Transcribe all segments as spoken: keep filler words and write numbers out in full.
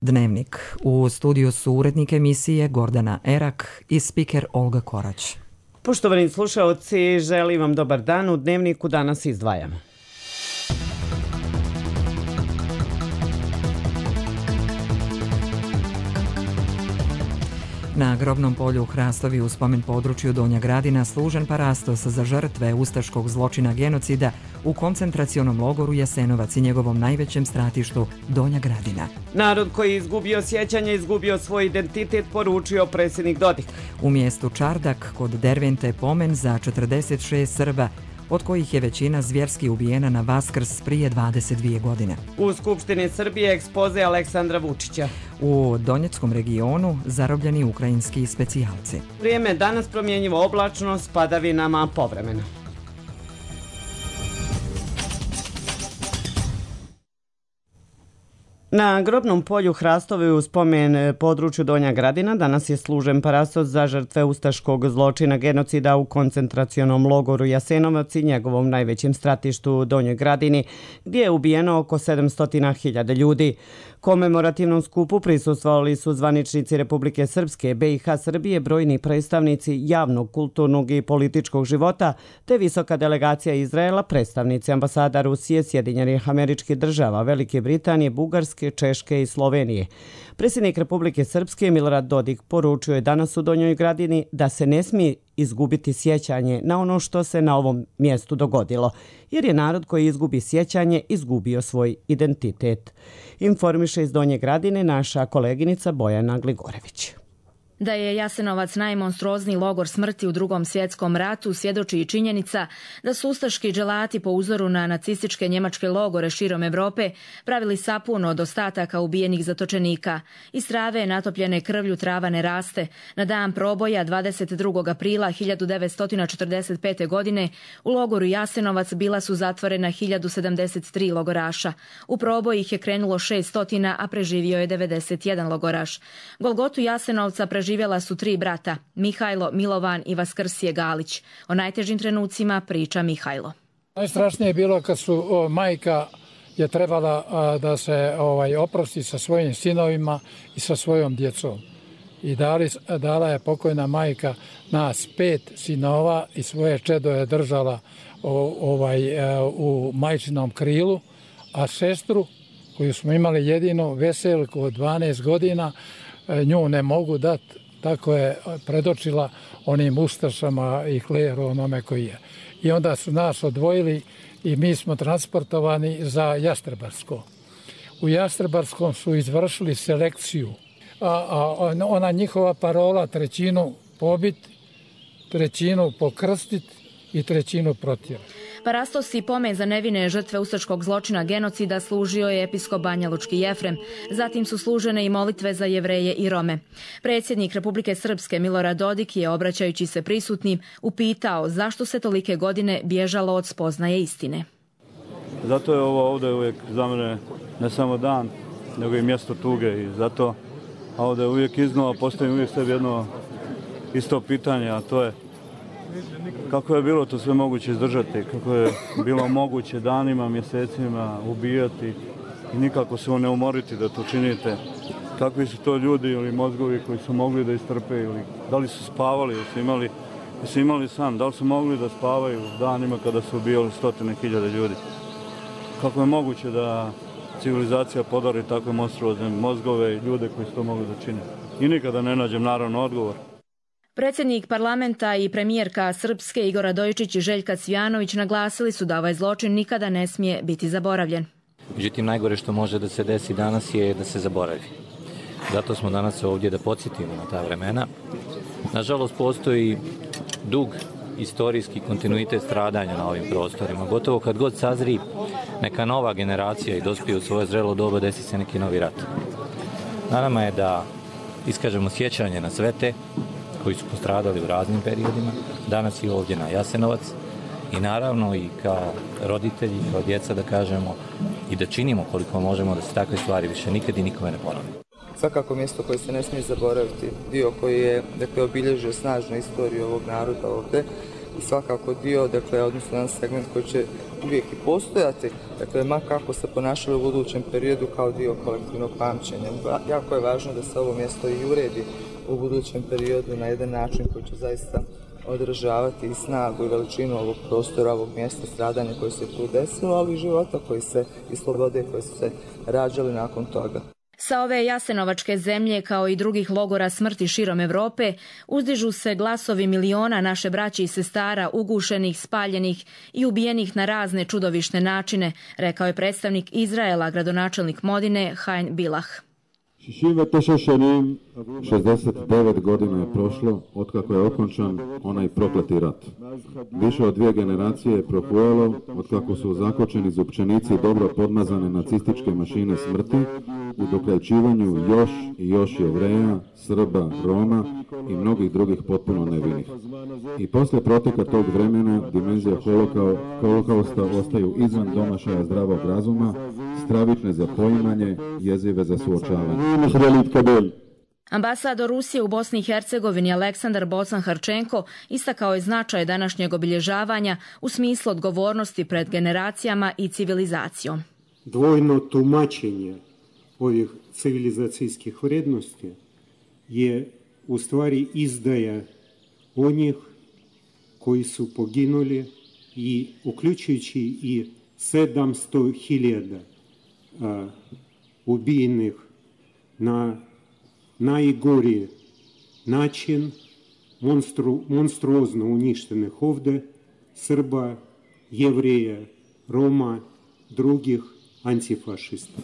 Dnevnik. U studiju su urednik emisije Gordana Erak i spiker Olga Korać. Poštovani slušaoci, želim vam dobar dan. U Dnevniku danas izdvajamo. Na grobnom polju Hrastovi u spomen području Donja Gradina služen parastos za žrtve ustaškog zločina genocida u koncentracionom logoru Jasenovac i njegovom najvećem stratištu Donja Gradina. Narod koji je izgubio sjećanje, izgubio svoj identitet, poručio predsjednik Dodik. U mjestu Čardak kod Dervente pomen za četrdeset šest Srba, od kojih je većina zvjerski ubijena na Vaskrs prije dvadeset dvije godine. U Skupštini Srbije ekspoze Aleksandra Vučića. U Donjeckom regionu zarobljeni ukrajinski specijalci. Vrijeme danas promjenjivo oblačno s padavinama povremeno. Na grobnom polju Hrastovi u spomen području Donja Gradina danas je služen parastos za žrtve ustaškog zločina genocida u koncentracionom logoru Jasenovac i njegovom najvećem stratištu Donjoj Gradini, gdje je ubijeno oko sedamsto hiljada ljudi. Komemorativnom skupu prisustvovali su zvaničnici Republike Srpske, B i H Srbije, brojni predstavnici javnog, kulturnog i političkog života, te visoka delegacija Izraela, predstavnici ambasada Rusije, Sjedinjenih Američkih Država, Velike Britanije, Bugarske, Češke i Slovenije. Predsjednik Republike Srpske Milorad Dodik poručio je danas u Donjoj Gradini da se ne smije izgubiti sjećanje na ono što se na ovom mjestu dogodilo, jer je narod koji izgubi sjećanje izgubio svoj identitet. Informiše iz Donje Gradine naša koleginica Bojana Gligorević. Da je Jasenovac najmonstruozniji logor smrti u Drugom svjetskom ratu svjedoči i činjenica da su ustaški dželati po uzoru na nacističke njemačke logore širom Evrope pravili sapun od ostataka ubijenih zatočenika. Iz trave natopljene krvlju trava ne raste. Na dan proboja dvadeset drugog aprila hiljadu devetsto četrdeset pete. godine u logoru Jasenovac bila su zatvorena hiljadu sedamdeset tri logoraša. U proboj ih je krenulo šesto, a preživio je devedeset jedan logoraš. Golgotu Jasenovca preživio Živjela su tri brata, Mihajlo, Milovan i Vaskrsije Galić. O najtežim trenucima priča Mihajlo. Najstrašnije je bilo kad su o, majka je trebala a, da se ovaj, oprosti sa svojim sinovima i sa svojom djecom. I dali, dala je pokojna majka nas pet sinova i svoje čedo je držala o, ovaj, a, u majčinom krilu, a sestru koju smo imali jedinu, Veselku od dvanaest godina, nju ne mogu dati, tako je predočila onim ustašama i kleru onome koji je. I onda su nas odvojili i mi smo transportovani za Jastrebarsko. U Jastrebarskom su izvršili selekciju, a, a ona njihova parola trećinu pobit, trećinu pokrstit i trećinu protjerati. Parastos i pomen za nevine žrtve ustaškog zločina genocida služio je episkop Banjalučki Jefrem. Zatim su služene i molitve za Jevreje i Rome. Predsjednik Republike Srpske Milorad Dodik je, obraćajući se prisutnim, upitao zašto se tolike godine bježalo od spoznaje istine. Zato je ovo ovdje uvijek za mene ne samo dan, nego i mjesto tuge. I zato ovdje uvijek iznova postavim uvijek sebi jedno isto pitanje, a to je kako je bilo to sve moguće izdržati, kako je bilo moguće danima, mjesecima ubijati i nikako se ne umoriti da to činite. Kakvi su to ljudi ili mozgovi koji su mogli da istrpe ili da li su spavali, ili su imali, ili su imali san, da li su mogli da spavaju danima kada su ubijali stotine hiljade ljudi. Kako je moguće da civilizacija podari takve monstruozne mozgove i ljude koji su to mogli da čine. I nikada ne nađem naravno odgovor. Predsjednik parlamenta i premijerka Srpske Igor Radojičić i Željka Cvijanović naglasili su da ovaj zločin nikada ne smije biti zaboravljen. Međutim, najgore što može da se desi danas je da se zaboravi. Zato smo danas ovdje da podsjetimo na ta vremena. Nažalost, postoji dug istorijski kontinuitet stradanja na ovim prostorima. Gotovo kad god sazri neka nova generacija i dospije u svoje zrelo doba, desi se neki novi rat. Na nama je da iskažemo sjećanje na sve te koji su postradali u raznim periodima, danas i ovdje na Jasenovac i naravno i kao roditelji, kao djeca da kažemo i da činimo koliko možemo da se takve stvari više nikad i nikome ne ponove. Svakako mjesto koje se ne smije zaboraviti, dio koji je dakle, obilježio snažnu istoriju ovog naroda ovdje, svakako dio, dakle, odnosno jedan segment koji će uvijek i postojati, dakle, ma kako se ponašali u budućem periodu kao dio kolektivnog pamćenja. Jako je važno da se ovo mjesto i uredi u budućem periodu na jedan način koji će zaista održavati i snagu i veličinu ovog prostora, ovog mjesta stradanja koje se tu desilo, ali i života koji se, i slobode koje su se rađali nakon toga. Sa ove jasenovačke zemlje, kao i drugih logora smrti širom Evrope, uzdižu se glasovi miliona naše braće i sestara ugušenih, spaljenih i ubijenih na razne čudovišne načine, rekao je predstavnik Izraela, gradonačelnik Modine, Haim Bilah. šezdeset devet godina je prošlo otkako je okončan onaj prokleti rat. Više od dvije generacije je prohujalo otkako su zakočeni zupčenici dobro podmazane nacističke mašine smrti u dokrajčivanju još i još Jevreja, Srba, Roma i mnogih drugih potpuno nevinih. I poslije proteka tog vremena dimenzije holokausta ostaju izvan domašaja zdravog razuma, stravične za poimanje, jezive za suočavanje. Ambasador Rusije u Bosni i Hercegovini Aleksandar Bocan-Harčenko istakao je značaj današnjeg obilježavanja u smislu odgovornosti pred generacijama i civilizacijom. Dvojno tumačenje ovih civilizacijskih vrednosti je u stvari izdaja onih koji su poginuli, i uključujući i sedamsto hiljada ubijenih na najgori način, monstru, monstruozno uništenih ovdje Srba, Jevreja, Roma, drugih antifašista.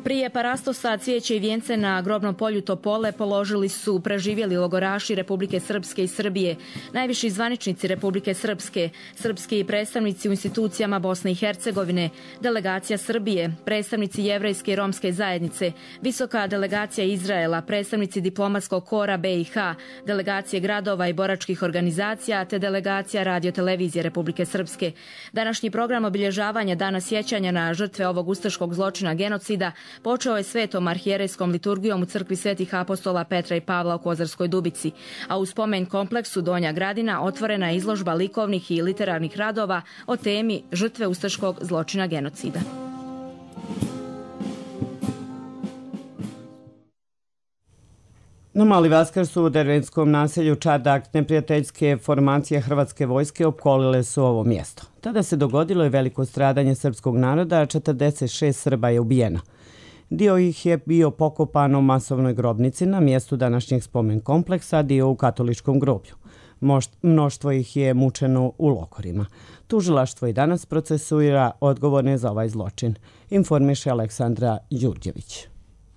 Prije parastosa cvijeće i vijence na grobnom polju Topole položili su preživjeli logoraši Republike Srpske i Srbije, najviši zvaničnici Republike Srpske, srpski predstavnici u institucijama Bosne i Hercegovine, delegacija Srbije, predstavnici jevrejske i romske zajednice, visoka delegacija Izraela, predstavnici diplomatskog kora B i H, delegacije gradova i boračkih organizacija te delegacija radiotelevizije Republike Srpske. Današnji program obilježavanja Dana sjećanja na žrtve ovog ustaškog zločina genocida počeo je svetom arhijerejskom liturgijom u crkvi Svetih apostola Petra i Pavla u Kozarskoj Dubici, a u spomen kompleksu Donja Gradina otvorena je izložba likovnih i literarnih radova o temi žrtve ustaškog zločina genocida. Na Mali Vaskrs u dervenskom naselju Čardak neprijateljske formacije Hrvatske vojske opkolile su ovo mjesto. Tada se dogodilo je veliko stradanje srpskog naroda, a četrdeset šest Srba je ubijeno. Dio ih je bio pokopan u masovnoj grobnici na mjestu današnjeg spomen kompleksa, dio u katoličkom groblju. Mnoštvo ih je mučeno u logorima. Tužilaštvo i danas procesuira odgovorne za ovaj zločin, informiše Aleksandra Đurđević.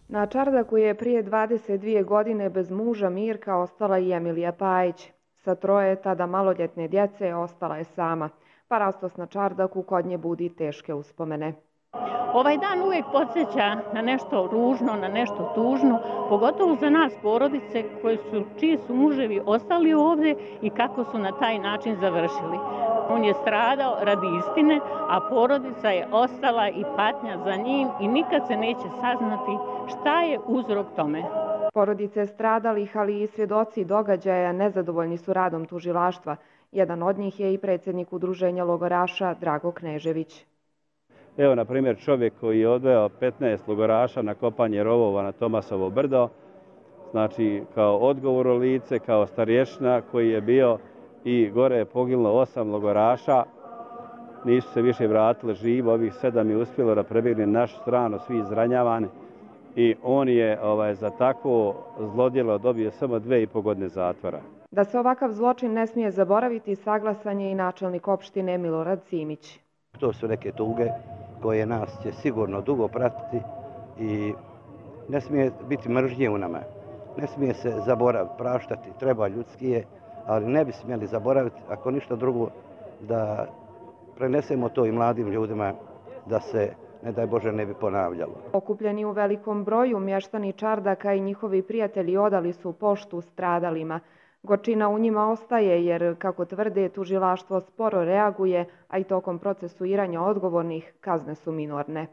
Na Čardaku je prije dvadeset dvije godine bez muža Mirka ostala i Emilija Pajić. Sa troje tada maloljetne djece ostala je sama. Parastos na Čardaku kod nje budi teške uspomene. Ovaj dan uvijek podsjeća na nešto ružno, na nešto tužno, pogotovo za nas porodice koji su, čiji su muževi ostali ovdje i kako su na taj način završili. On je stradao radi istine, a porodica je ostala i patnja za njim i nikad se neće saznati šta je uzrok tome. Porodice stradalih, ali i svjedoci događaja nezadovoljni su radom tužilaštva. Jedan od njih je i predsjednik udruženja logoraša Drago Knežević. Evo, na primjer, čovjek koji je odveo petnaest logoraša na kopanje rovova na Tomasovo brdo, znači kao odgovorno lice, kao starješina koji je bio i gore je poginulo osam logoraša, nisu se više vratili živo, ovih sedam je uspjelo da prebjegne na našu stranu, svi izranjavani, i on je ovaj, za takvo zlodjelo dobio samo dve i po godine zatvora. Da se ovakav zločin ne smije zaboraviti, saglasan je i načelnik opštine Milorad Simić. To su neke tuge koje nas će sigurno dugo pratiti i ne smije biti mržnje u nama. Ne smije se zaboraviti, praštati, treba ljudski je, ali ne bi smjeli zaboraviti, ako ništa drugo, da prenesemo to i mladim ljudima, da se, ne daj Bože, ne bi ponavljalo. Okupljeni u velikom broju, mještani Čardaka i njihovi prijatelji odali su poštu stradalima. Gorčina u njima ostaje jer, kako tvrde, tužilaštvo sporo reaguje, a i tokom procesuiranja odgovornih kazne su minorne.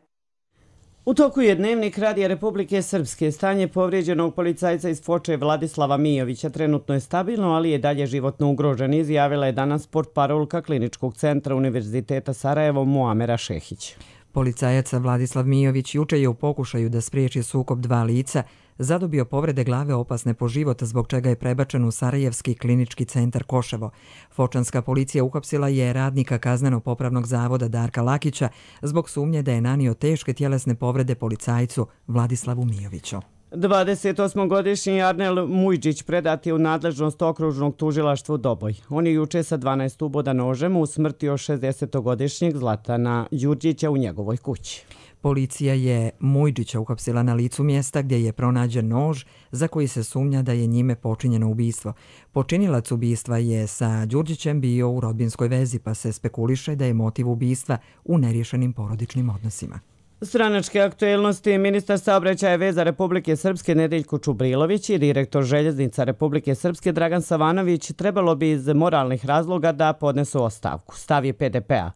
U toku je Dnevnik Radija Republike Srpske. Stanje povrijeđenog policajca iz Foče Vladislava Mijovića trenutno je stabilno, ali je dalje životno ugrožen, izjavila je danas portparolka Kliničkog centra Univerziteta Sarajevo Muamera Šehić. Policajac Vladislav Mijović juče je u pokušaju da spriječi sukob dva lica zadobio povrede glave opasne po život, zbog čega je prebačen u Sarajevski klinički centar Koševo. Fočanska policija uhapsila je radnika kazneno-popravnog zavoda Darka Lakića zbog sumnje da je nanio teške tjelesne povrede policajcu Vladislavu Mijoviću. dvadesetosmogodišnji Arnel Mujđić predat je u nadležnost okružnog tužilaštva u Doboj. On je juče sa dvanaest uboda nožem usmrtio šezdesetogodišnjeg Zlatana Đurđića u njegovoj kući. Policija je Mujđića uhapsila na licu mjesta gdje je pronađen nož za koji se sumnja da je njime počinjeno ubistvo. Počinilac ubistva je sa Đurđićem bio u rodbinskoj vezi, pa se spekuliše da je motiv ubistva u neriješenim porodičnim odnosima. Stranačke aktuelnosti. Ministar saobraćaja i veza Republike Srpske Nedeljko Čubrilović i direktor željeznica Republike Srpske Dragan Savanović trebalo bi iz moralnih razloga da podnesu ostavku. Stav je P D P-a.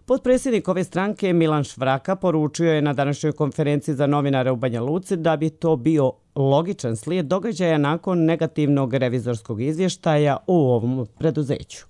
Potpredsjednik ove stranke Milan Švraka poručio je na današnjoj konferenciji za novinare u Banja Luci da bi to bio logičan slijed događaja nakon negativnog revizorskog izvještaja u ovom preduzeću.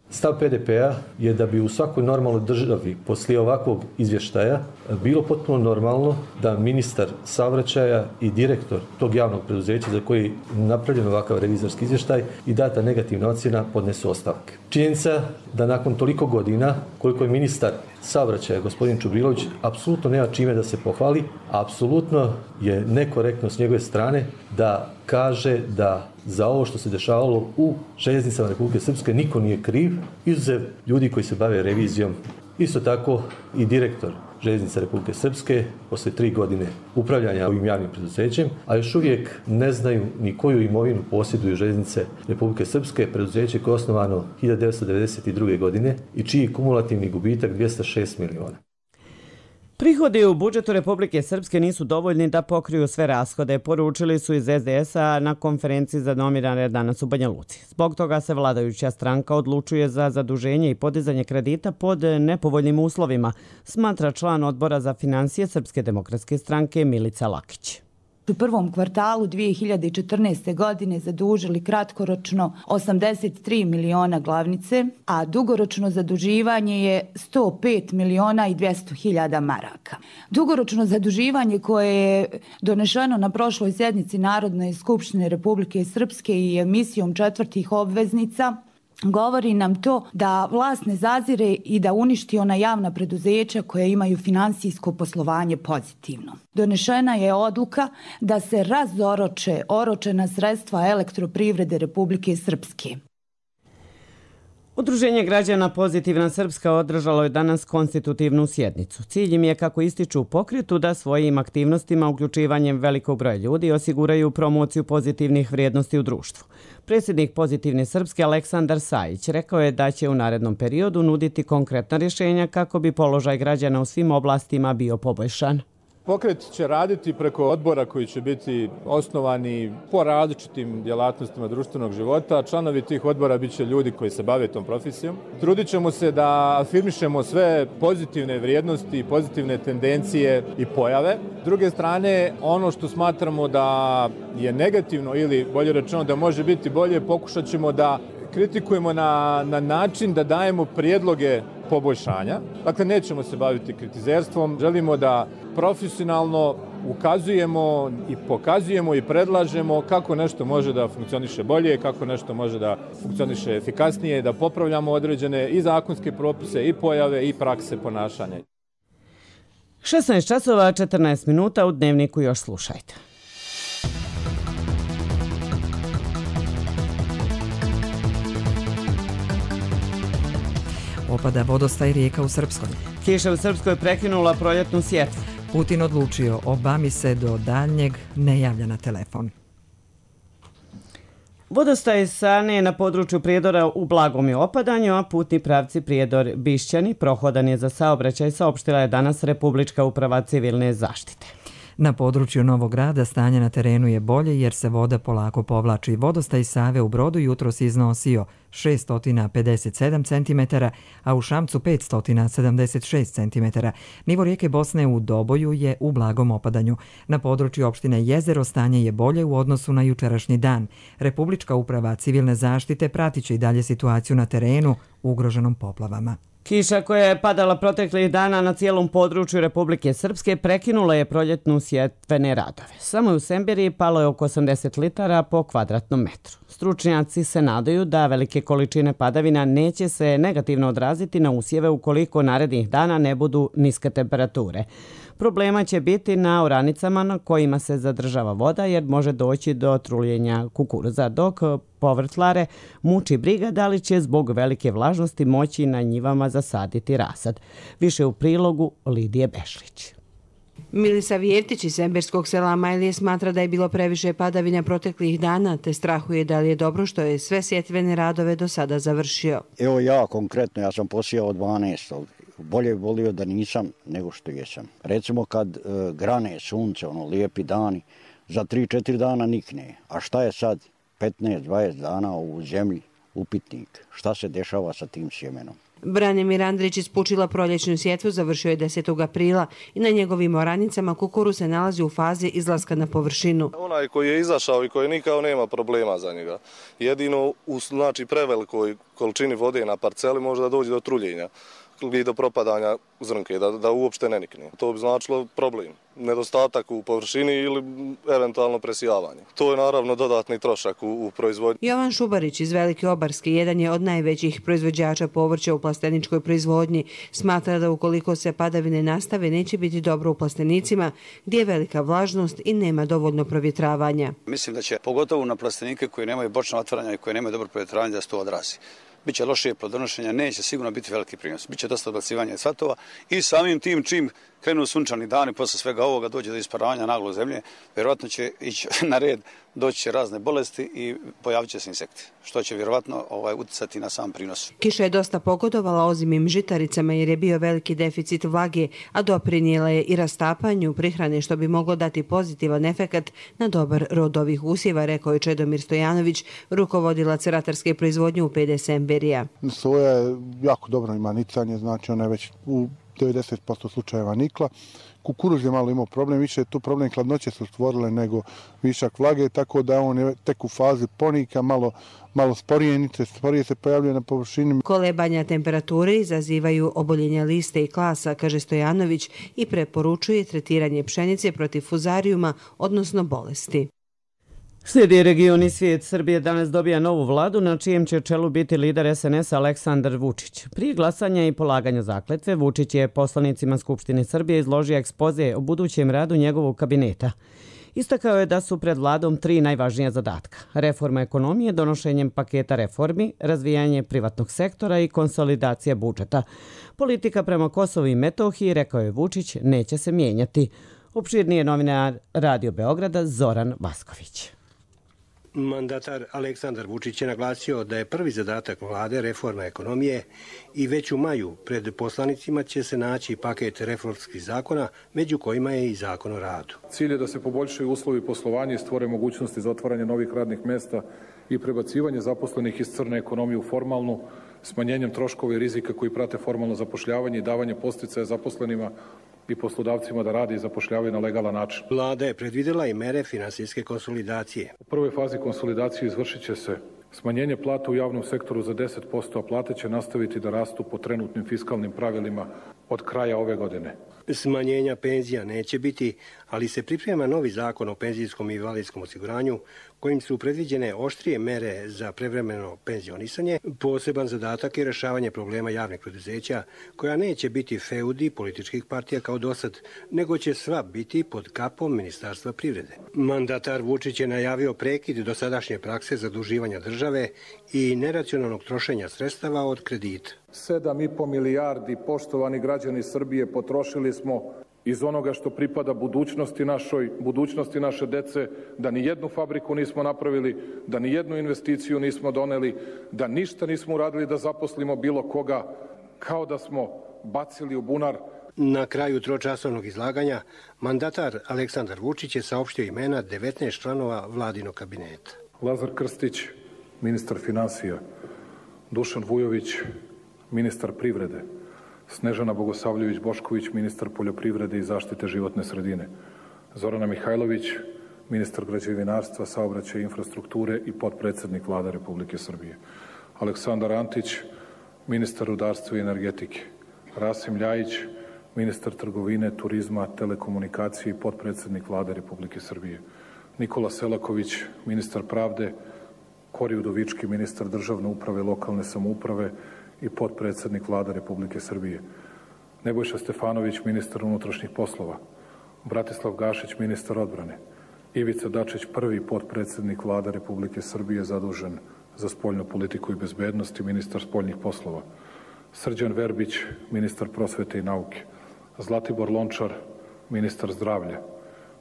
Stav P D P-a je da bi u svakoj normalnoj državi poslije ovakvog izvještaja bilo potpuno normalno da ministar saobraćaja i direktor tog javnog preduzeća za koji je napravljen ovakav revizorski izvještaj i data negativna ocjena podnesu ostavke. Činjenica da nakon toliko godina koliko je ministar saobraćaja gospodin Čubrilović apsolutno nema čime da se pohvali, a apsolutno je nekorektno s njegove strane da kaže da za ovo što se dešavalo u željeznicama Republike Srpske niko nije kriv, izuzev ljudi koji se bave revizijom. Isto tako i direktor željeznica Republike Srpske poslije tri godine upravljanja ovim javnim preduzećem, a još uvijek ne znaju ni koju imovinu posjeduju željeznice Republike Srpske, preduzeće koje je osnovano hiljadu devetsto devedeset druge. godine i čiji kumulativni gubitak dvjesto šest miliona. Prihodi u budžetu Republike Srpske nisu dovoljni da pokriju sve rashode, poručili su iz S D S-a na konferenciji za novinare danas u Banja Luci. Zbog toga se vladajuća stranka odlučuje za zaduženje i podizanje kredita pod nepovoljnim uslovima, smatra član odbora za financije Srpske demokratske stranke Milica Lakić. U prvom kvartalu dvije hiljade četrnaeste. godine zadužili kratkoročno osamdeset tri miliona glavnice, a dugoročno zaduživanje je sto pet miliona i dvjesto hiljada maraka. Dugoročno zaduživanje koje je donešeno na prošloj sjednici Narodne skupštine Republike Srpske i emisijom četvrtih obveznica govori nam to da vlast ne zazire i da uništi ona javna preduzeća koja imaju finansijsko poslovanje pozitivno. Donešena je odluka da se razoroče oročena sredstva Elektroprivrede Republike Srpske. Udruženje građana Pozitivna Srpska održalo je danas konstitutivnu sjednicu. Cilj im je, kako ističu u pokretu, da svojim aktivnostima, uključivanjem velikog broja ljudi, osiguraju promociju pozitivnih vrijednosti u društvu. Predsjednik Pozitivne Srpske Aleksandar Sajić rekao je da će u narednom periodu nuditi konkretna rješenja kako bi položaj građana u svim oblastima bio poboljšan. Pokret će raditi preko odbora koji će biti osnovani po različitim djelatnostima društvenog života. Članovi tih odbora bit će ljudi koji se bave tom profesijom. Trudit ćemo se da afirmišemo sve pozitivne vrijednosti, pozitivne tendencije i pojave. S druge strane, ono što smatramo da je negativno ili bolje rečeno da može biti bolje, pokušat ćemo da kritikujemo na, na način da dajemo prijedloge poboljšanja. Dakle, nećemo se baviti kritizerstvom. Želimo da profesionalno ukazujemo i pokazujemo i predlažemo kako nešto može da funkcioniše bolje, kako nešto može da funkcioniše efikasnije, da popravljamo određene i zakonske propise, i pojave, i prakse ponašanja. šesnaest časova četrnaest minuta u Dnevniku još slušajte. Opada vodostaj rijeka u Srpskoj. Kiša u Srpskoj prekinula proljetnu sjetvu. Putin odlučio, Obami se do daljnjeg ne javlja na telefon. Vodostaj Sane na području Prijedora u blagom je opadanju, a putni pravci Prijedor-Bišćani prohodan je za saobraćaj, saopštila je danas Republička uprava civilne zaštite. Na području Novog Grada stanje na terenu je bolje jer se voda polako povlači. Vodostaj Save u Brodu jutros iznosio šest stotina pedeset sedam centimetara, a u Šamcu pet stotina sedamdeset šest centimetara. Nivo rijeke Bosne u Doboju je u blagom opadanju. Na području opštine Jezero stanje je bolje u odnosu na jučerašnji dan. Republička uprava civilne zaštite pratit će i dalje situaciju na terenu ugroženom poplavama. Kiša koja je padala proteklih dana na cijelom području Republike Srpske prekinula je proljetnu sjetvene radove. Samo u Semberiji palo je oko osamdeset litara po kvadratnom metru. Stručnjaci se nadaju da velike količine padavina neće se negativno odraziti na usjeve ukoliko narednih dana ne budu niske temperature. Problema će biti na oranicama na kojima se zadržava voda jer može doći do truljenja kukuruza, dok povrtlare muči briga da li će zbog velike vlažnosti moći na njivama zasaditi rasad. Više u prilogu Lidije Bešlić. Milisa Vjevtić iz semberskog sela Majlije smatra da je bilo previše padavina proteklih dana, te strahuje da li je dobro što je sve sjetvene radove do sada završio. Evo ja konkretno, ja sam posijao dvanaestog Bolje bi volio da nisam nego što jesam. Recimo kad e, grane sunce, ono lijepi dani, za tri četiri dana nikne. A šta je sad petnaest dvadeset dana u zemlji, upitnik? Šta se dešava sa tim sjemenom? Branimir Andrić iz Pučila proljećnu sjetvu završio je desetog aprila i na njegovim oranicama kukuruz se nalazi u fazi izlaska na površinu. Onaj koji je izašao i koji nikao nema problema za njega. Jedino u znači, prevelikoj količini vode na parceli može da dođe do truljenja i do propadanja zrnke, da, da uopšte ne nikne. To bi značilo problem, nedostatak u površini ili eventualno presijavanje. To je naravno dodatni trošak u, u proizvodnji. Jovan Šubarić iz Velike Obarske, jedan je od najvećih proizvođača povrća u plasteničkoj proizvodnji, smatra da ukoliko se padavine nastave neće biti dobro u plastenicima gdje je velika vlažnost i nema dovoljno provjetravanja. Mislim da će pogotovo na plastenike koji nemaju bočno otvaranja i koji nemaju dobro provjetravanje da se to odrazi. Biće lošije plodonošenja, neće sigurno biti veliki prinos. Biće dosta odbacivanja cvatova i samim tim čim krenu sunčani dani, posle svega ovoga dođe do isparavanja naglo zemlje, vjerovatno će ići na red, doći će razne bolesti i pojavit će se insekti, što će vjerovatno ovaj, uticati na sam prinos. Kiša je dosta pogodovala ozimim žitaricama jer je bio veliki deficit vlage, a doprinijela je i rastapanju prihrane što bi moglo dati pozitivan efekat na dobar rod ovih usjeva, rekao je Čedomir Stojanović, rukovodilac ratarske proizvodnje u P D Semberija. Soja je jako dobro ima nicanje, znači ona je već u devedeset posto slučajeva nikla. Kukuruz je malo imao problem, više je tu problem hladnoće su stvorile nego višak vlage, tako da on je tek u fazi ponika, malo, malo sporije nice, sporije se pojavljuje na površini. Kolebanja temperature izazivaju oboljenja liste i klasa, kaže Stojanović, i preporučuje tretiranje pšenice protiv fuzarijuma, odnosno bolesti. Slijedi region i svijet. Srbije danas dobija novu vladu na čijem će čelu biti lider S N S Aleksandar Vučić. Prije glasanja i polaganja zakletve, Vučić je poslanicima Skupštine Srbije izložio ekspoze o budućem radu njegovog kabineta. Istakao je da su pred vladom tri najvažnija zadatka. Reforma ekonomije donošenjem paketa reformi, razvijanje privatnog sektora i konsolidacija budžeta. Politika prema Kosovu i Metohiji, rekao je Vučić, neće se mijenjati. Opširnije novinar Radio Beograda Zoran Vasković. Mandatar Aleksandar Vučić je naglasio da je prvi zadatak vlade reforma ekonomije i već u maju pred poslanicima će se naći paket reformskih zakona, među kojima je i zakon o radu. Cilj je da se poboljšaju uslovi poslovanja i stvore mogućnosti za otvaranje novih radnih mesta i prebacivanje zaposlenih iz crne ekonomije u formalnu, smanjenjem troškova i rizika koji prate formalno zapošljavanje i davanje podsticaja zaposlenima i poslodavcima da rade i zapošljavaju na legalan način. Vlada je predvidjela i mere finansijske konsolidacije. U prvoj fazi konsolidacije izvršit će se smanjenje plata u javnom sektoru za deset posto, a plate će nastaviti da rastu po trenutnim fiskalnim pravilima od kraja ove godine. Smanjenja penzija neće biti, ali se priprema novi zakon o penzijskom i invalidskom osiguranju kojim su predviđene oštrije mere za prevremeno penzionisanje. Poseban zadatak je rješavanje problema javnih preduzeća koja neće biti feudi političkih partija kao dosad, nego će sva biti pod kapom Ministarstva privrede. Mandatar Vučić je najavio prekid dosadašnje prakse zaduživanja države i neracionalnog trošenja sredstava od kredita. sedam i po milijardi, poštovani građani Srbije, potrošili smo iz onoga što pripada budućnosti našoj, budućnosti naše dece, da ni jednu fabriku nismo napravili, da ni jednu investiciju nismo doneli, da ništa nismo uradili da zaposlimo bilo koga, kao da smo bacili u bunar Na kraju tročasovnog izlaganja mandatar Aleksandar Vučić je saopštio imena devetnaest članova vladinog kabineta. Lazar Krstić, ministar finansija, Dušan Vujović, ministar privrede, Snežana Bogosavljević-Bošković, ministar poljoprivrede i zaštite životne sredine, Zorana Mihajlović, ministar građevinarstva, saobraćaja i infrastrukture i potpredsednik Vlade Republike Srbije, Aleksandar Antić, ministar rudarstva i energetike, Rasim Ljajić, ministar trgovine, turizma, telekomunikacije i potpredsednik Vlade Republike Srbije, Nikola Selaković, ministar pravde, Kori Udovički, ministar državne uprave i lokalne samouprave i potpredsednik Vlade Republike Srbije, Nebojša Stefanović, ministar unutrašnjih poslova, Bratislav Gašić, ministar odbrane, Ivica Dačić, prvi potpredsednik Vlade Republike Srbije zadužen za spoljnu politiku i bezbednost i ministar spoljnih poslova, Srđan Verbić, ministar prosvete i nauke, Zlatibor Lončar, ministar zdravlja,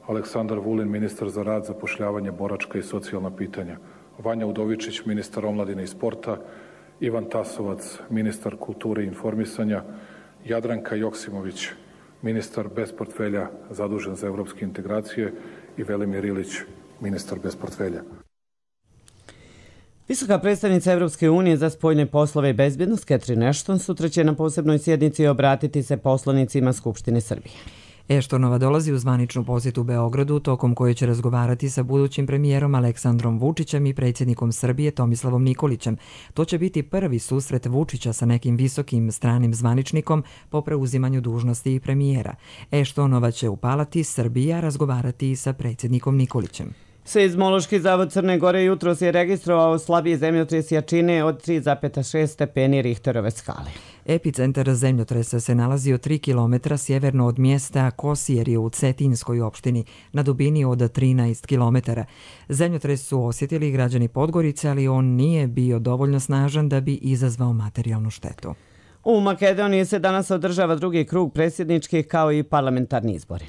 Aleksandar Vulin, ministar za rad, zapošljavanje, boračka i socijalna pitanja, Vanja Udovičić, ministar omladine i sporta, Ivan Tasovac, ministar kulture i informisanja, Jadranka Joksimović, ministar bez portfelja zadužen za evropske integracije i Velimir Ilić, ministar bez portfelja. Visoka predstavnica Evropske unije za spoljne poslove i bezbjednost Catherine Ashton sutra će na posebnoj sjednici obratiti se poslanicima Skupštine Srbije. Eštonova dolazi u zvaničnu posjetu u Beogradu, tokom koje će razgovarati sa budućim premijerom Aleksandrom Vučićem i predsjednikom Srbije Tomislavom Nikolićem. To će biti prvi susret Vučića sa nekim visokim stranim zvaničnikom po preuzimanju dužnosti i premijera. Eštonova će u Palati Srbija razgovarati i sa predsjednikom Nikolićem. Seizmološki zavod Crne Gore jutros je registrovao slabiji zemljotres jačine od tri zarez šest stepeni Richterove skale. Epicentar zemljotresa se nalazio tri kilometra sjeverno od mjesta Kosjerje u Cetinskoj opštini, na dubini od trinaest kilometara. Zemljotres su osjetili građani Podgorice, ali on nije bio dovoljno snažan da bi izazvao materijalnu štetu. U Makedoniji se danas održava drugi krug predsjedničkih kao i parlamentarni izbori.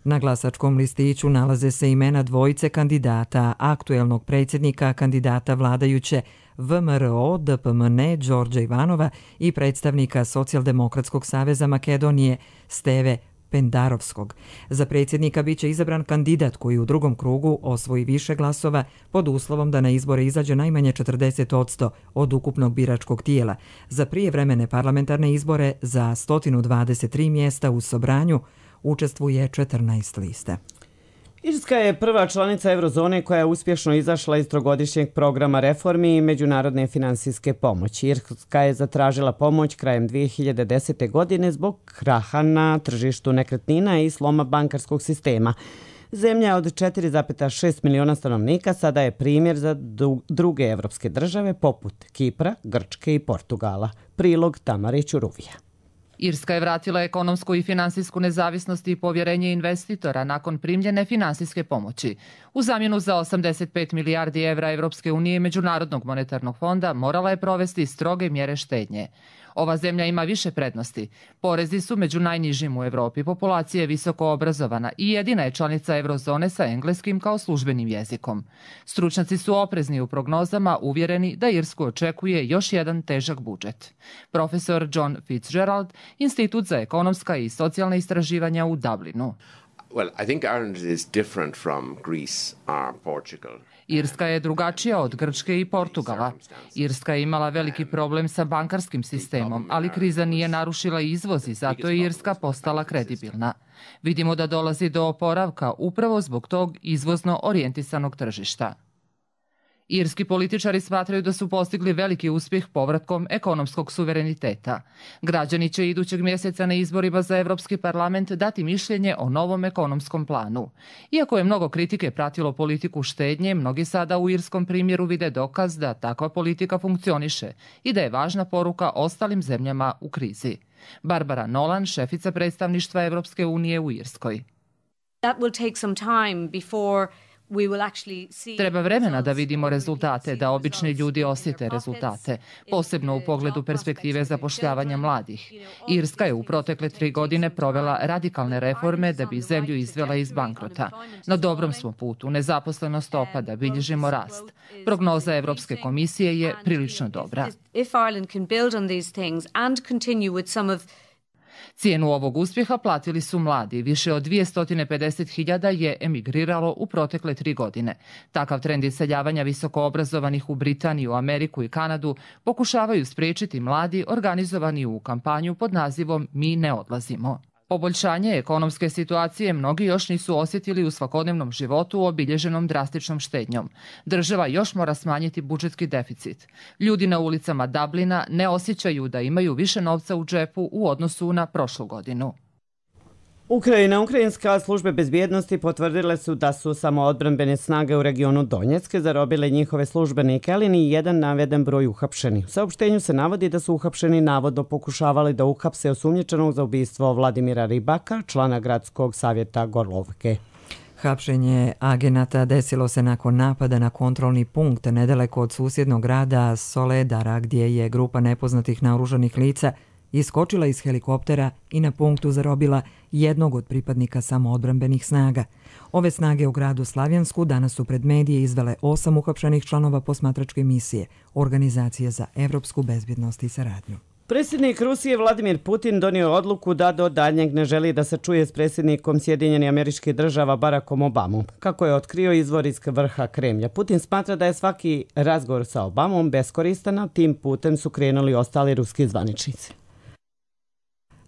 Na glasačkom listiću nalaze se imena dvojice kandidata, aktuelnog predsjednika, kandidata vladajuće V M R O D P M N Đorđa Ivanova i predstavnika Socijaldemokratskog saveza Makedonije Steve Pendarovskog. Za predsjednika biće izabran kandidat koji u drugom krugu osvoji više glasova pod uslovom da na izbore izađe najmanje četrdeset posto od ukupnog biračkog tijela. Za prijevremene parlamentarne izbore za sto dvadeset tri mjesta u Sobranju učestvuje četrnaest lista. Irska je prva članica eurozone koja je uspješno izašla iz trogodišnjeg programa reformi i međunarodne finansijske pomoći. Irska je zatražila pomoć krajem dvije hiljade desete. godine zbog kraha na tržištu nekretnina i sloma bankarskog sistema. Zemlja od četiri zarez šest miliona stanovnika sada je primjer za druge evropske države poput Kipra, Grčke i Portugala. Prilog Tamare Ćuruvija. Irska je vratila ekonomsku i finansijsku nezavisnost i povjerenje investitora nakon primljene finansijske pomoći. U zamjenu za osamdeset pet milijardi evra Evropske unije i Međunarodnog monetarnog fonda morala je provesti stroge mjere štednje. Ova zemlja ima više prednosti. Porezi su među najnižim u Evropi, populacija je visoko obrazovana i jedina je članica eurozone sa engleskim kao službenim jezikom. Stručnjaci su oprezni u prognozama, uvjereni da Irsku očekuje još jedan težak budžet. Profesor John Fitzgerald, Institut za ekonomska i socijalna istraživanja u Dublinu. Well, I think Ireland is different from Greece or Portugal. Irska je drugačija od Grčke i Portugala. Irska je imala veliki problem sa bankarskim sistemom, ali kriza nije narušila izvoz i zato je Irska postala kredibilna. Vidimo da dolazi do oporavka upravo zbog tog izvozno orijentisanog tržišta. Irski političari smatraju da su postigli veliki uspjeh povratkom ekonomskog suvereniteta. Građani će idućeg mjeseca na izborima za Evropski parlament dati mišljenje o novom ekonomskom planu. Iako je mnogo kritike pratilo politiku štednje, mnogi sada u irskom primjeru vide dokaz da takva politika funkcioniše i da je važna poruka ostalim zemljama u krizi. Barbara Nolan, šefica predstavništva Evropske unije u Irskoj. That will take some time before Treba vremena da vidimo rezultate, da obični ljudi osjete rezultate, posebno u pogledu perspektive zapošljavanja mladih. Irska je u protekle tri godine provela radikalne reforme da bi zemlju izvela iz bankrota. Na dobrom smo putu, nezaposlenost opada, bilježimo rast. Prognoza Evropske komisije je prilično dobra. Cijenu ovog uspjeha platili su mladi. Više od dvjesto pedeset hiljada je emigriralo u protekle tri godine. Takav trend iseljavanja visokoobrazovanih u Britaniju, Ameriku i Kanadu pokušavaju spriječiti mladi organizovani u kampanju pod nazivom Mi ne odlazimo. Poboljšanje ekonomske situacije mnogi još nisu osjetili u svakodnevnom životu obilježenom drastičnom štednjom. Država još mora smanjiti budžetski deficit. Ljudi na ulicama Dublina ne osjećaju da imaju više novca u džepu u odnosu na prošlu godinu. Ukrajina, ukrajinska službe bezbjednosti potvrdile su da su samoodbrambene snage u regionu Donjecke zarobile njihove službenike, ali ni jedan naveden broj uhapšeni. U saopštenju se navodi da su uhapšeni navodno pokušavali da uhapse osumnjičenog za ubistvo Vladimira Ribaka, člana gradskog savjeta Gorlovke. Hapšenje agenata desilo se nakon napada na kontrolni punkt nedaleko od susjednog grada Soledara, gdje je grupa nepoznatih naoružanih lica iskočila iz helikoptera i na punktu zarobila jednog od pripadnika samoodbrambenih snaga. Ove snage u gradu Slavjansku danas su pred medije izvele osam uhapšenih članova posmatračke misije Organizacije za evropsku bezbjednost i saradnju. Predsjednik Rusije Vladimir Putin donio odluku da do daljnjeg ne želi da se čuje s predsjednikom Sjedinjenih Američkih Država Barackom Obamom. Kako je otkrio izvor iz vrha Kremlja, Putin smatra da je svaki razgovor sa Obamom beskoristan, a tim putem su krenuli ostali ruski zvaničnici.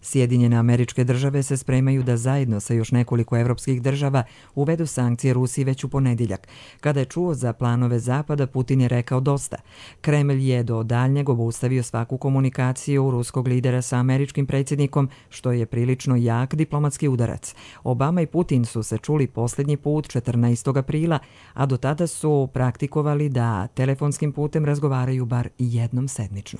Sjedinjene Američke Države se spremaju da zajedno sa još nekoliko evropskih država uvedu sankcije Rusiji već u ponedjeljak. Kada je čuo za planove Zapada, Putin je rekao dosta. Kremlj je do daljnjeg obustavio svaku komunikaciju ruskog lidera sa američkim predsjednikom, što je prilično jak diplomatski udarac. Obama i Putin su se čuli posljednji put četrnaestog aprila, a do tada su praktikovali da telefonskim putem razgovaraju bar jednom sedmično.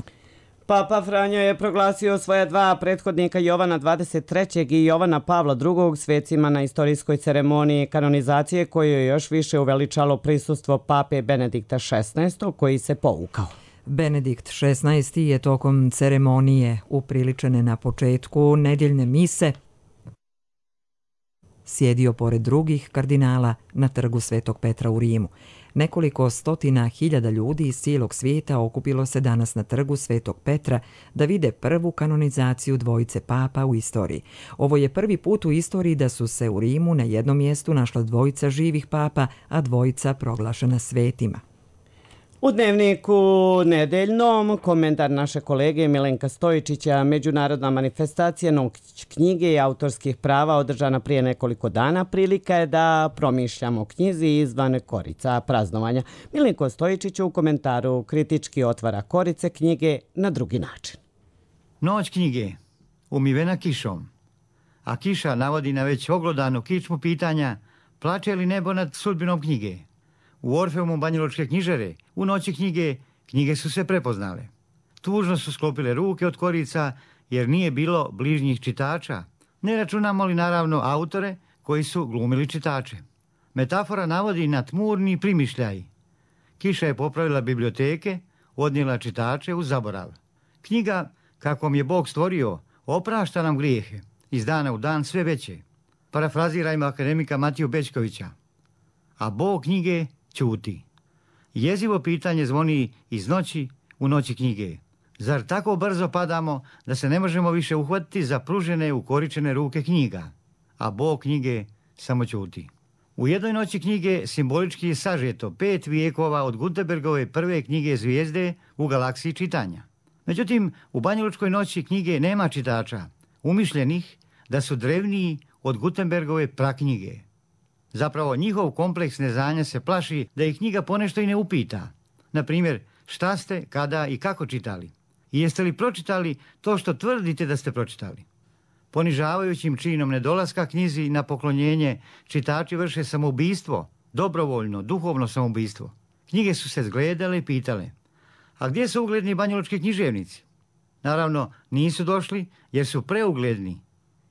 Papa Franjo je proglasio svoja dva prethodnika Jovana dvadeset trećeg i Jovana Pavla drugog svecima na istorijskoj ceremoniji kanonizacije koje je još više uveličalo prisustvo pape Benedikta šesnaestog koji se povukao. Benedikt šesnaesti je tokom ceremonije upriličene na početku nedjeljne mise sjedio pored drugih kardinala na trgu Svetog Petra u Rimu. Nekoliko stotina hiljada ljudi iz cijelog svijeta okupilo se danas na trgu Svetog Petra da vide prvu kanonizaciju dvojice papa u istoriji. Ovo je prvi put u istoriji da su se u Rimu na jednom mjestu našla dvojica živih papa, a dvojica proglašena svetima. U Dnevniku nedeljnom komentar naše kolege Milenka Stojičića, međunarodna manifestacija novog knjige i autorskih prava održana prije nekoliko dana, prilika je da promišljamo o knjizi izvan korica praznovanja. Milenko Stojičić u komentaru kritički otvara korice knjige na drugi način. Noć knjige, umivena kišom, a kiša navodi na već oglodanu kičmu pitanja plače li nebo nad sudbinom knjige. U Orfeumu banjalučke knjižare, u noći knjige, knjige su se prepoznale. Tužno su sklopile ruke od korica jer nije bilo bližnjih čitača. Ne računamo li naravno autore koji su glumili čitače. Metafora navodi na tmurni primišljaj. Kiša je popravila biblioteke, odnijela čitače u zaborav. Knjiga, kakvom je Bog stvorio, oprašta nam grijehe, iz dana u dan sve veće. Parafrazirajmo akademika Matiju Bećkovića. A Bog knjige ćuti. Jezivo pitanje zvoni iz noći u noći knjige. Zar tako brzo padamo da se ne možemo više uhvatiti za pružene ukoričene ruke knjiga? A Bog knjige samo ćuti. U jednoj noći knjige simbolički je sažeto pet vijekova od Gutenbergove prve knjige Zvijezde u galaksiji čitanja. Međutim, u banjalučkoj noći knjige nema čitača, umišljenih da su drevniji od Gutenbergove praknjige. Zapravo, njihov kompleks neznanja se plaši da ih knjiga ponešto i ne upita. Na primjer, šta ste, kada i kako čitali? I jeste li pročitali to što tvrdite da ste pročitali? Ponižavajućim činom nedolaska knjizi na poklonjenje čitači vrše samoubistvo, dobrovoljno, duhovno samoubistvo. Knjige su se zgledale i pitale, a gdje su ugledni banjalučki književnici? Naravno, nisu došli jer su preugledni,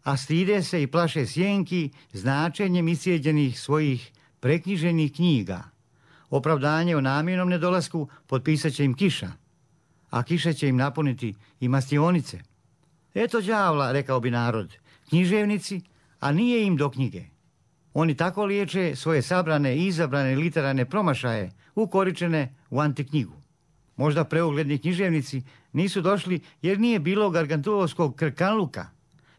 a stide se i plaše sjenki značenjem iscijeđenih svojih preknjiženih knjiga. Opravdanje o namjernom nedolasku potpisat će im kiša, a kiša će im napuniti i mastionice. Eto đavla, rekao bi narod, književnici, a nije im do knjige. Oni tako liječe svoje sabrane i izabrane literarne promašaje ukoričene u antiknjigu. Možda preugledni književnici nisu došli jer nije bilo gargantuovskog krkanluka,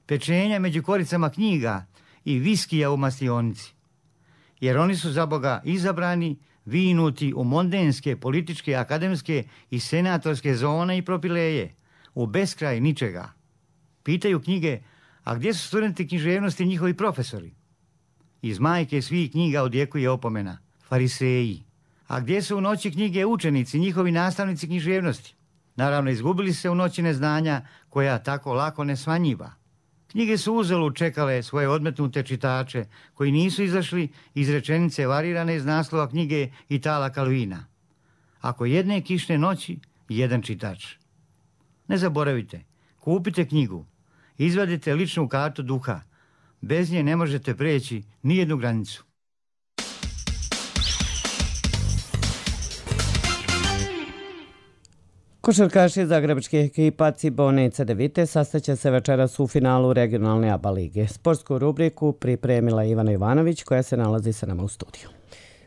pečenja među koricama knjiga i viskija u mastionici. Jer oni su za Boga izabrani, vinuti u mondenske, političke, akademske i senatorske zone i propileje, u beskraj ničega. Pitaju knjige, a gdje su studenti književnosti i njihovi profesori? Iz majke svih knjiga odjekuje opomena, fariseji. A gdje su u noći knjige učenici, njihovi nastavnici književnosti? Naravno, izgubili se u noći neznanja koja tako lako ne smanjiva. Knjige su uzalud čekale svoje odmetnute čitače, koji nisu izašli iz rečenice varirane iz naslova knjige Itala Kalvina. Ako jedne kišne noći, jedan čitač. Ne zaboravite, kupite knjigu, izvadite ličnu kartu duha. Bez nje ne možete preći ni jednu granicu. Košarkaši zagrebačke ekipa Cibone i Cedevite sastaće se večeras u finalu regionalne A B A lige. Sportsku rubriku pripremila Ivana Ivanović koja se nalazi sa nama u studiju.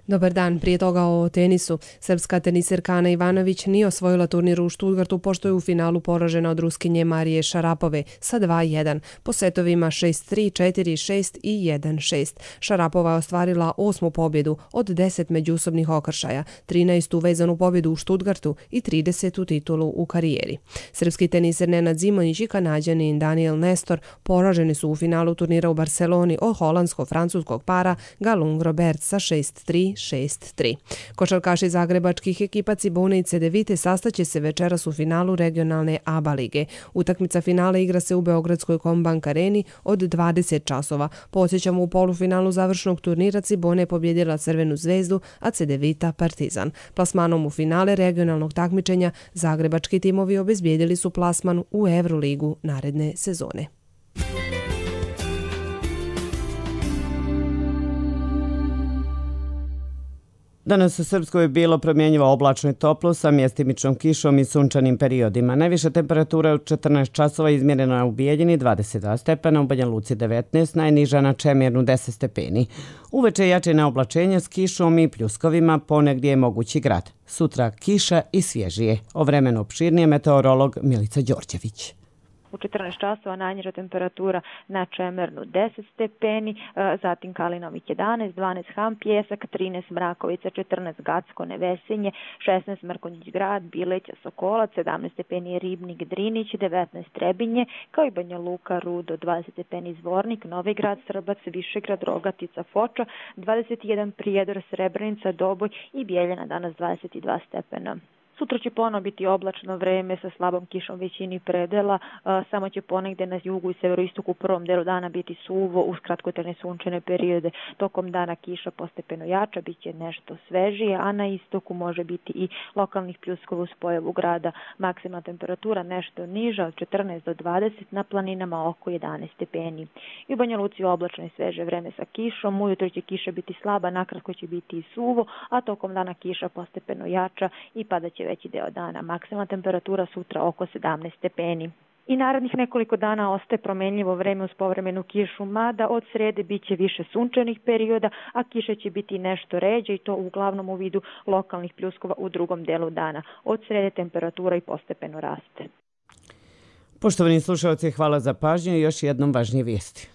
Dobar dan, prije toga o tenisu. Srpska teniserka Ana Ivanović nije osvojila turnir u Stuttgartu pošto je u finalu poražena od Ruskinje Marije Šarapove sa dva jedan, po setovima šest tri, četiri šest i jedan šest. Šarapova je ostvarila osmu pobjedu od deset međusobnih okršaja, trinaestu vezanu pobjedu u Stuttgartu i tridesetu titulu u karijeri. Srpski teniser Nenad Zimonjić i Kanađanin Daniel Nestor poraženi su u finalu turnira u Barceloni od holandsko-francuskog para Galung Robert sa šest tri, šest tri. Košarkaši zagrebačkih ekipa Cibone i Cedevite sastaće se večeras u finalu regionalne A B A lige. Utakmica finala igra se u Beogradskoj Kombank areni od dvadeset časova. Podsjećamo, u polufinalu završnog turnira Cibone je pobjedila Crvenu zvezdu, a Cedevita Partizan. Plasmanom u finale regionalnog takmičenja zagrebački timovi obezbijedili su plasman u Euroligu naredne sezone. Danas u Srpskoj je bilo promjenjivo oblačno i toplo sa mjestimičnom kišom i sunčanim periodima. Najviša temperatura je u četrnaest časova izmjerena u Bijeljini dvadeset dva stepena, u Banja Luci devetnaest, najniža na Čemirnu deset stepeni. Uveče jače neoblačenje s kišom i pljuskovima, ponegdje je mogući grad. Sutra kiša i svježije. O vremenu opširnije meteorolog Milica Đorđević. U četrnaest časova najniža temperatura na Čemernu deset stepeni, zatim Kalinovik jedanaest, dvanaest Ham Pjesak, trinaest Mrakovica, četrnaest Gacko Nevesinje, šesnaest Mrkonjić Grad, Bileća Sokolac, sedamnaest stepeni Ribnik Drinić, devetnaest Trebinje, kao i Banja Luka Rudo, dvadeset stepeni Zvornik, Novi Grad Srbac, Višegrad, Rogatica, Foča, dvadeset jedan Prijedor, Srebrenica, Doboj i Bijeljana danas dvadeset dva stepena. Sutra će ponovo biti oblačno vreme sa slabom kišom većini predela, samo će ponegde na jugu i severoistoku u prvom delu dana biti suvo uz kratkotrajne sunčane periode. Tokom dana kiša postepeno jača, bit će nešto svežije, a na istoku može biti i lokalnih pljuskova uz pojavu grada. Maksimalna temperatura nešto niža od četrnaest do dvadeset, na planinama oko jedanaest stepeni. I u Banja Luci oblačno i sveže vreme sa kišom, ujutro će kiša biti slaba, nakratko će biti i suvo, a tokom dana kiša postepeno jača i padaće veći deo dana. Maksimalna temperatura sutra oko sedamnaest stepeni. I narednih nekoliko dana ostaje promenljivo vreme uz povremenu kišu, mada od srede bit će više sunčanih perioda, a kiša će biti nešto ređe i to uglavnom u vidu lokalnih pljuskova u drugom delu dana. Od srede temperatura i postepeno raste. Poštovani slušalci, hvala za pažnju i još jednom važnije vijesti.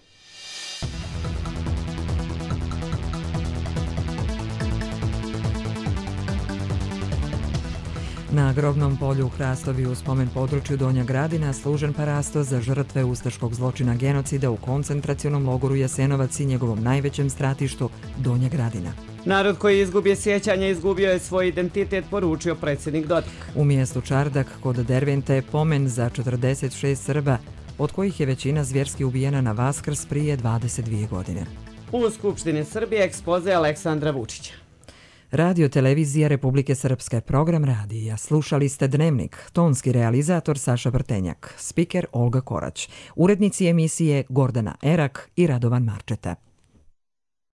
Na grobnom polju u Hrastovi u spomen području Donja Gradina služen parasto za žrtve ustaškog zločina genocida u koncentracionom logoru Jasenovac i njegovom najvećem stratištu Donja Gradina. Narod koji izgubio sjećanje izgubio je svoj identitet, poručio predsjednik Dodik. U mjestu Čardak kod Dervente je pomen za četrdeset šest Srba, od kojih je većina zvjerski ubijena na Vaskrs prije dvadeset dvije godine. U Skupštini Srbije ekspoze Aleksandra Vučića. Radio Televizija Republike Srpske, program radija. Slušali ste Dnevnik, tonski realizator Saša Brtenjak, spiker Olga Korać, urednici emisije Gordana Erak i Radovan Marčeta.